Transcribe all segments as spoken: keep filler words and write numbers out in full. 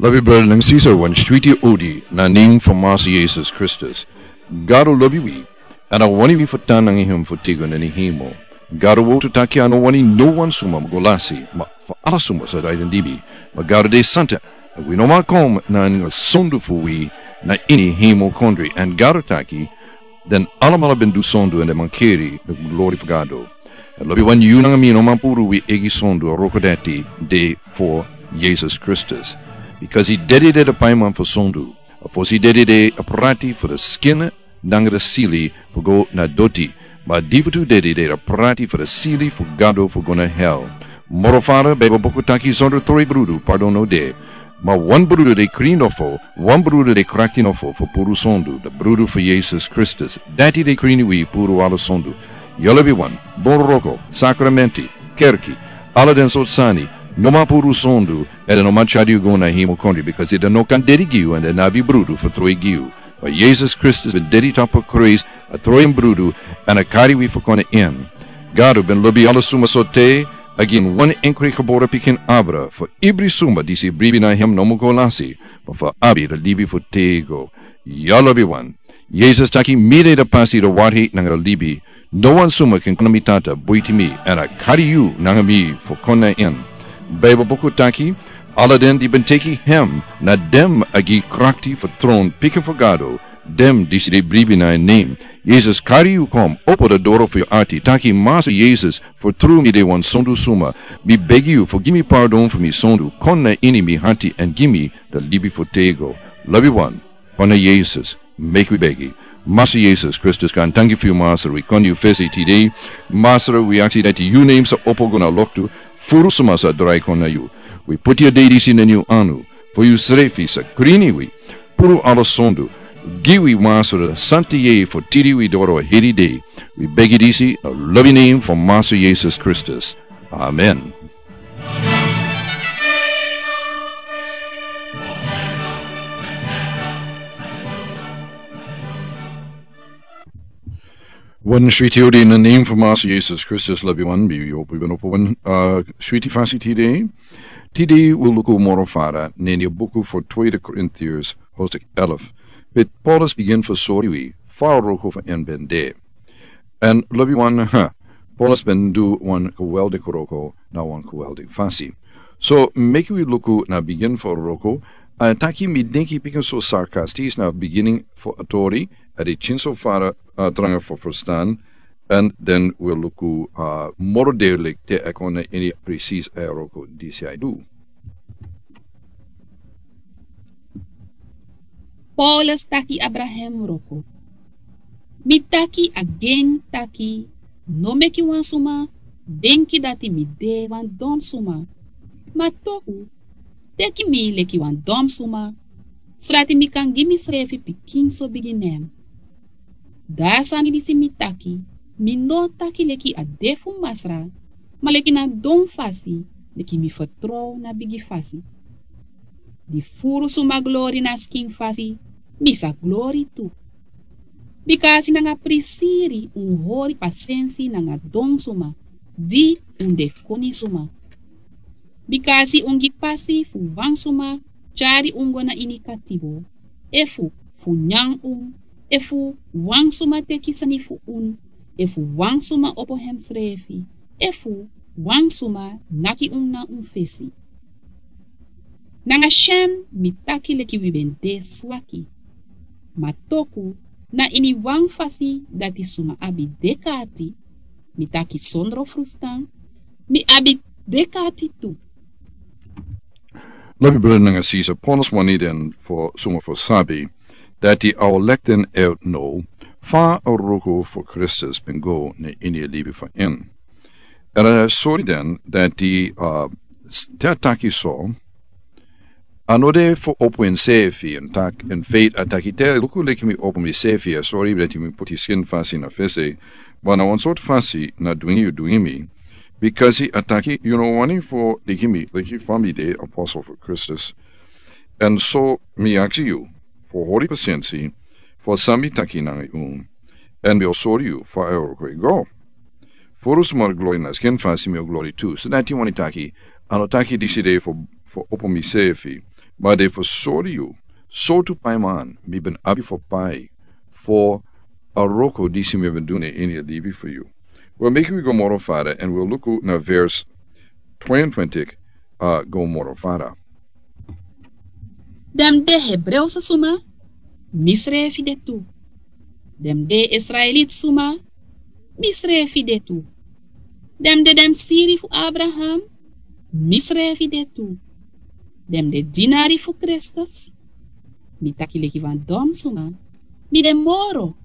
Lobi brada nanga sisa, wan switi odi na nen fu Masa Yesus Kristus. Gado lobi wi, èn a wani wi fu tan nanga en fu tego na ini hemel. Gado wani taki a no wani no wan suma go lasi, ma fu ala suma sa drai den libi. Ma Gado de santa, èn wi no man kon na nanga sondu fu wi na ini hemel kondre. Èn Gado taki, den alamala ben du sondu èn den man keri den glori fu Gado. Èn lobi wan, yu nanga mi no man puru wi eigi sondu, a wroko dati de fu Yesus Kristus. Bikasi a dedi de a paiman fu sondu. A fosi dedi de a prati fu a skin nanga a sili fu go na doti. Ma a difutu dedi de a prati fu a sili fu Gado fu go na hel. Moro fara, Baibel buku taki, sondro troi brudu pardon no de. Ma wan brudu de krin nofo, wan brudu de krakti nofo fu puru sondu, a brudu fu Yesus Kristus. Dati de krin wi puru ala sondu. Yu lobi wan, bun wroko, sakramenti, kerki, ala den sortu sani, no man puru sondu, èn den no man tyari yu go na hemel kondre, bikasi den no kan dedi gi yu èn den no abi brudu fu troi gi yu. Ma Yesus Kristus ben dedi tapu a krusu, a troi en brudu, èn a kari wi fu kon na en. Gado ben lobi ala suma so te, a gi en wan enkri gebore pikin abra, fu ibri suma disi bribi na hem no mu go lasi, ma fu abi a libi fu tego. Yu lobi wan. Yesus taki, mi de a pasi, a wari nanga a libi. No wan suma kan kon na mi Tata buiti mi, èn a kari yu nanga mi fu kon na en. Baibel buku taki, ala den di ben teki hem, na den a gi krakti fu tron pikin fu Gado, den disi de bribi na en nen. Yesus kari yu kon, opo a doro fu yu ati, taki, Masa Yesus, fu tru mi de wan sondu suma, mi begi yu fu gi mi pardon fu mi sondu, kon na ini mi ati èn gi mi a libi fu tego. Lobi wan. Kon na Yesus, meki wi begi. Masa Yesus Kristus, gaantangi fu yu Masra, wi kon na yu fesi tide. Masra, wi aksi dati yu nen sa opo go na loktu, furu suma sa drai kon na yu. Wi poti a dei disi na ini yu anu, fu yu srefi sa krin wi, puru ala sondu. Gi wi Masra, santa yeye fu tiri wi doro heri dei. Wi begi disi na lobi nen fu Masa Yesus Kristus. Amen. Wan switi odi na nen fu Masa Yesus Kristus, lobi wan, mi hopu yu ben opo wan, uh, switi fasi tide. Tide wi luku moro fara na ini a buku fu Tweede Korintiërs, hoofdstuk elf. Beti Paulus bigin fu sori wi fa a wroko fu en ben de. Èn lobi wan, ha, Paulus ben du wan geweldig wroko na wan geweldig fasi. So, meki wi luku na bigin fu a wroko. A taki, mi denki, pikin so sarkastis na bigin fu a tori, a de tyin so fara, uh, tranga fu ferstan, èn den wi luku, uh, moro duidelijk te a kon na ini precies a wroko disi a e du. Paulus taki abra en wroko. Mi taki agen taki, no meki wan suma denki dati mi de wan don suma. Ma toku, teki mi leki wan don suma, sodati mi kan gi misrefi pikinso bigi nen. Dan a sani disi mi taki, mi no taki leki a de fu Masra, ma leki na don fasi, leki mi fertrow na bigi fasi. Di furu suma glori na skin fasi, mi sa glori tu. Bikasi nanga prisiri un hori pasensi nanga don suma, di un de koni suma. Bikasi un gi pasi fu wan suma tyari un go na ini katibo, efu fu nyan un, efu wan suma teki sani fu un, efu wan suma opo hemsrefi, efu wan suma naki un na un fesi. Nanga syen mi taki leki wi ben de swaki. Ma toku, na ini wan fasi dati suma abi dek'ati, mi taki sondro frustan, mi abi dek'ati tu. Lobi brada nanga sisa, Paulus wani den fu suma fu sabi dati a o leki den out now fa a wroko fu Kristus ben go na ini a libi fu en. Èn a sori den dati, uh, s-, te a taki so, a no de fu opo ensefi èn taki, in faith a taki, te luku leki mi opo misefi, a sori dati mi poti skin fasi na fesi, ma na wan sortu fasi na dwingi yu dwingi mi, bikasi a taki yu no wani fu leki mi, leki fa mi de apostel fu Kristus. Èn so mi aksi yu fu hori pasensi fu san mi taki nanga yu, èn mi o sori yu fa a wroko e go. Furu suma glori na skin fasi, mi o glori tu. So dati wani taki, a no taki disi de fu, fu opo misefi, Ma den fu sori yu sortu paiman mi ben abi fu pai fu a wroko disi mi ben du na ini a libi fu yu. Wel, meki wi go moro fada èn wi o luku na vers twenty-twenty, a go moro fada. Den de Hebreuse suma, misrefi de tu. Den de Israelit suma, misrefi de tu. Den de den siri fu Abraham, misrefi de tu. Den de dinari fu Kristus, mi taki leki wan dom suma, mi de moro,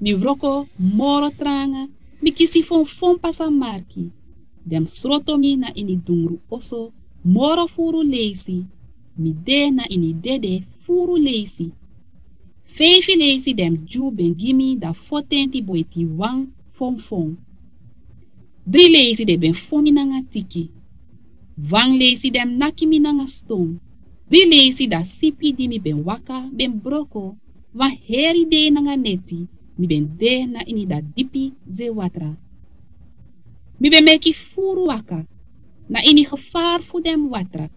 mi wroko moro tranga, mi kisi fonfon pasa marki. Den sroto mi na ini dungru oso moro furu leisi, mi de na ini dede furu leisi. Feifi leisi den Dyu ben gi mi da fotenti boiti wan fonfon. Dri leisi den ben fon mi nanga tiki. Wan leisi den naki mi nanga ston. Dri leisi da sipi di mi ben waka ben broko. Wan heri dei nanga neti mi ben de na ini da dipi ze watra. Mi ben meki furu waka na ini gevaar fu den watra,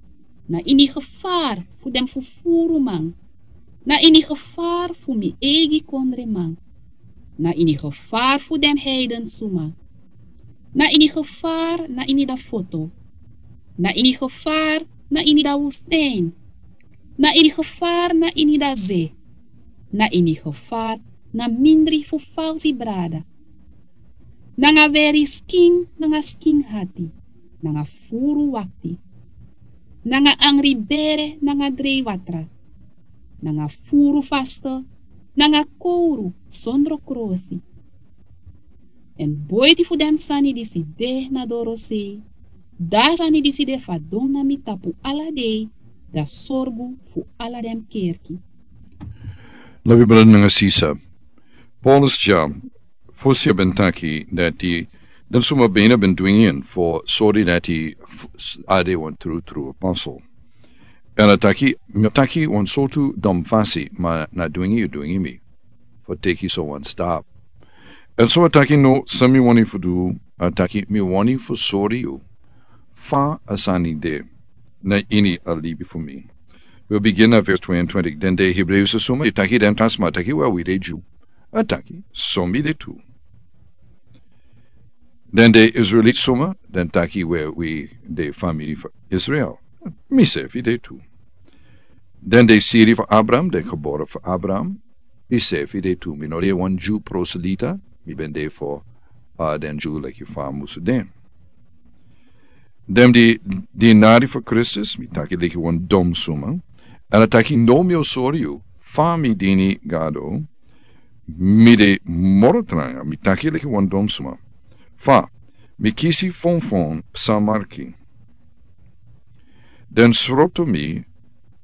na ini gevaar fu den fufuru man, na ini gevaar fu mi eigi kondreman, na ini gevaar fu den heiden suma, na ini gevaar na ini da foto, na ini gevaar na ini da wustijn, na ini gevaar na ini da ze, na ini gevaar na mindri fu falsi brada, nanga weri skin nanga skin hati, nanga furu wakti, nanga angri bere nanga drei watra, nanga furu faste, nanga kowru sondro krosi. Èn boiti fu den sani disi de na dorosei, da sani disi de fadon na mi tapu ala dei, da sorgu fu ala den kerki. Lobi brada nanga sisa, Paulus dya fosi a ben taki dati den suma ben a ben dwingi en fu sori dati a de wan trutru apostel. Èn a taki, mi o taki wan sortu dom fasi, ma na dwingi yu dwingi mi fu teki so wan stap. Èn so a taki no, san mi wani fu du, a taki mi wani fu sori yu fa a sani de na ini a libi fu mi. Wi o bigin na vers twenty-twenty. Den de Hebreuse suma, yu taki den tan sma, a taki wel wi de Dyu. A taki so mi de tu. Den de Israelit suma, den taki wel wi de famiri fu Israel. Mi sefi de tu. Den de siri fu Abraham, den gebore fu Abraham. Mi sefi de tu. Mi no de wan Dyu proselita, mi ben de fu a den Dyu leki fa a musu de. Den di dinari fu Kristus, mi taki leki wan dom suma. Èn a taki no, mi o sori yu fa mi dini Gado, mi de moro tranga, mi taki leki wan dom suma. Fa mi kisi fonfon psa marki. Den sroto mi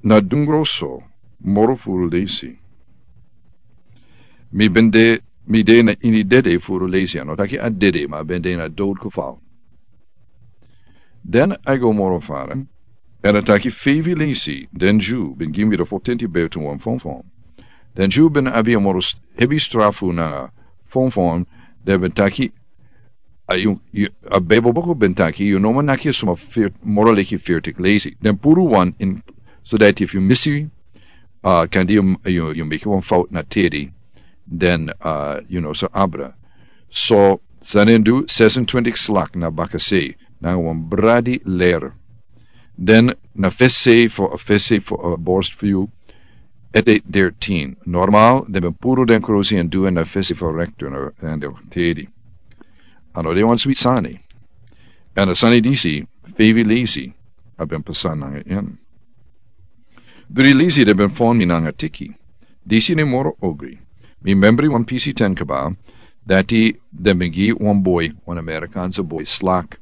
na dungro so moro furu leisi. Mi ben de, mi de na ini dede furu leisi, a no taki a dede, ma a ben de na dood geval. Den a go moro fara, èn a taki feifi leisi den Dyu ben gi mi da fotenti boiti wan fonfon. Den Dyu ben abi a moro hebi strafu nanga fonfon, den ben taki, a yu, a Bijbel boko ben taki yu no man naki suma moro leki fertik leisi. Den puru wan in, so dati efu yu misi, a kande yu, yu meki wan fout na tedi, den a yu no so abra. So san den du, sesentwintik slak na bakasei nanga wan bradi ler. Den na fesi fu a fesi fu a borst fu yu. Ete dertien. Normal den ben puru den krusi èn du en na fesi fu a rektor na den tedi. A no de wan switi sani. Èn a sani disi feifi leisi a ben pasa nanga en. Dri leisi den ben fon mi nanga tiki. Disi ne moro ogri. Mi membri wan pisi ten kaba, dati den ben gi wan boi, wan Amerikanse boi slak,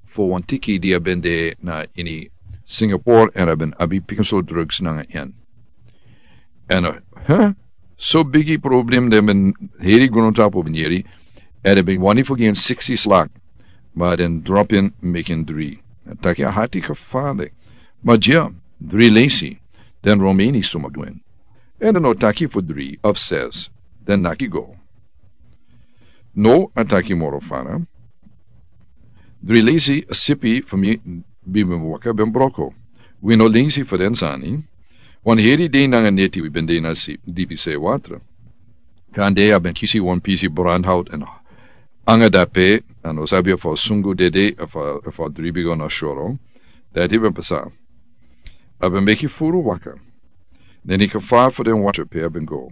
fu wan tiki di a ben de na ini Singapore èn a ben abi pikinso drugs nanga en. Èn a, huh? So bigi problem den ben heri grontapu ben yeri, èn den ben wani fu gi en siksi slak, ma den drop en meki en dri. A taki a hati kafale. Ma dya, dri leisi, den Romeni suma du en. Èn den no taki fu dri of ses, den naki go. No, a taki moro fara. Dri leisi a sipi fu mi ben waka ben broko. Wi no lensi fu den sani. Wan heri dei nanga neti wi ben de na si dipi se watra. Kande a ben kisi wan pisi brandhout èn anga dape, a no sabi efu a sungu dede efu a dribi go na soro. Dati ben pasa. A ben meki furu waka. Neni kafar fu den watra pe a ben go.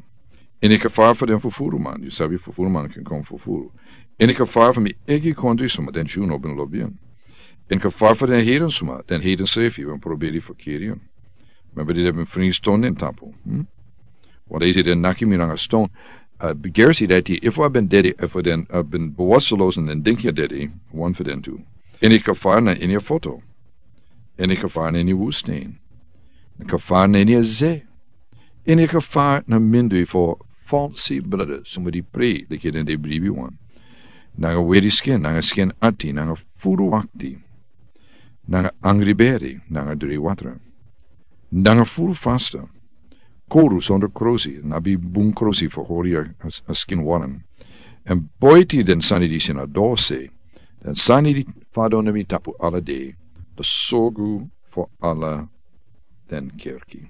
Ini kafar fu den fufuru man, yu sabi fufuru man ken kon fufuru. Ini kafar fu mi egi kondri suma den Jew no ben lobi en. Ini kafar fu den heiden suma den heiden srefi ben proberi fu kiri en. Member di den ben fringi ston den tapu. Wan dei si den naki mi nanga ston. Gersi dati efu a ben dede efu den a ben bewasteloos en den dinki a dede. Wan fu den tu. Ini kafar na ini a foto. Ini kafar na ini wustin. Ini kafar na ini a ze. Ini kafar na mindui fu falsi brada suma di prei leki den de bribi wan. Nanga weri skin nanga skin ati nanga furu wakti. Nanga angri beri nanga dri watra. Nanga furu fasta. Koru sondro krosi na bi bun krosi fu hori a skin waran. Èn boiti den sani disi na dose. Den sani di fado na mi tapu ala dei. Da sogu fu ala den kerki.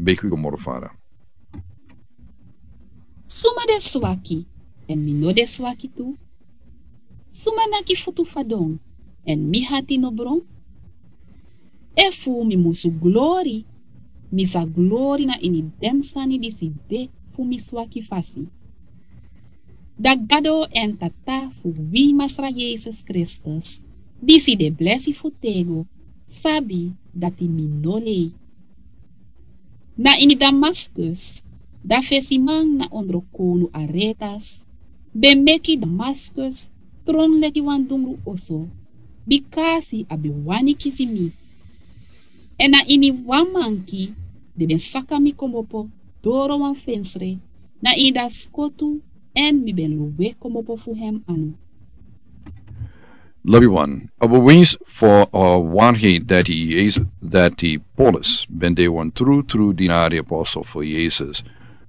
Meki wi go moro fara. Suma de swaki èn mi no de swaki tu? Suma naki futu fadon èn mi hati no bron? Efu mi musu glori, mi sa glori na ini den sani disi de fu mi swaki fasi. Da Gado èn Tata fu wi Masra Yesus Kristus, disi de blesi fu tego, sabi dati mi no lei. Na ini Damaskus, da fesiman na ondro kownu Aretas ben meki Damaskus tron leki wan dungru oso, bikasi a ben wani kisi mi. Èn na ini wan manki den ben saka mi kmopo doro wan fensre, na ini da skotu èn mi ben lowe kmopo fu hem anu. Lobi wan, a ben wins fu a wanhei dati Yesus dati Paulus ben de wan trutru dinari apostel fu Yesus.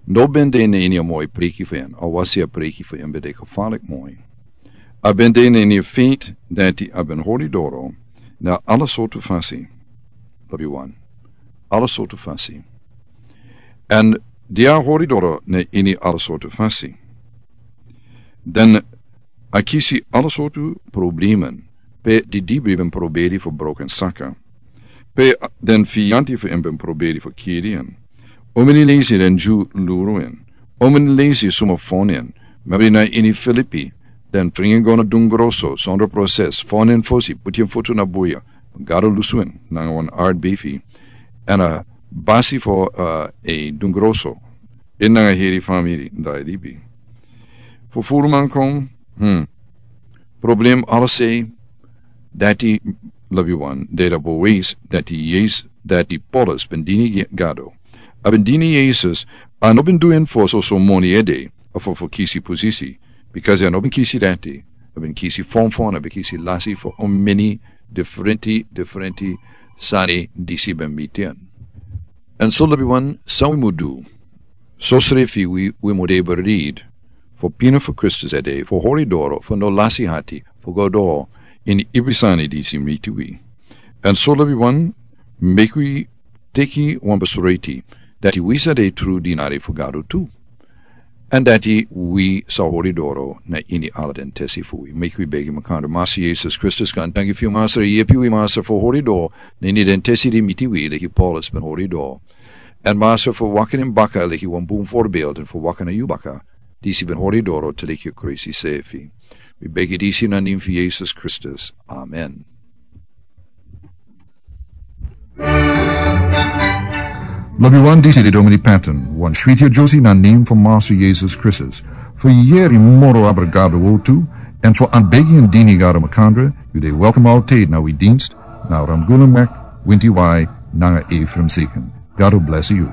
No ben de na ini a moi preki fu en a wasi a preki fu en ben de gefalik moi. A ben de na ini a feit dati a ben hori doro na ala sortu fasi. Lobi wan, ala sortu fasi. Èn di a hori doro na ini ala sortu fasi. Den a kisi ala sortu problemen pe di dibri ben proberi fu broken saka. Pe den fiyanti fu en ben proberi fu kiri en. Omini leisi den Jew luru en. Omini leisi suma fon en. Mabri na ini Filipi den fringi go na dungroso sondro proses fon en fosi puti en fotu na buya. Gado lusu en nanga wan ard befi. Èn a basi fu a dungroso en nanga heri famiri dai libi. Fu furu man kon. Problem ala sei dati. Lobi wan deda bo weis dati Yesus dati Paulus ben dini Gado. A ben dini Yesus. A no ben du en fu soso moni ede a fu fu kisi posisi. Bikasi a no ben kisi dati. A ben kisi fonfon a ben kisi lasi fu omeni diferenti diferenti sani disi ben miti en. Èn so lobi wan san wi mu du? Sosrefi wi wi mu de berid fu pina fu Kristus ede fu hori doro fu no lasi hati fu go doro ini ibri sani disi miti wi. Èn so lobi wan meki wi teki wan besreti dati wi sa de tru dinari fu Gado tu. Èn dati wi sa hori doro na ini ala den tesi fu wi meki wi begi makandra Masa Yesus Kristus kan tangi fu yu Masa yepi wi Masa fu hori doro na ini den tesi di miti wi leki Paulus ben hori doro. Èn Masa fu waka nen baka leki wan bun forbelden fu waka na yu baka disi ben hori doro te leki yu kresi sefi. Wi begi disi na nen fu Yesus Kristus. Amen. Lobi wan disi de Domini Patton wan switi a Josi na nen fu Masa Yesus Kristus. Fu yeri moro abra Gado wotu èn fu an begi an dini Gado makandra yu de welkom altid na wi dinst na Ramguna Mek winti wai nanga Efraim Sikin. Gado blesi yu.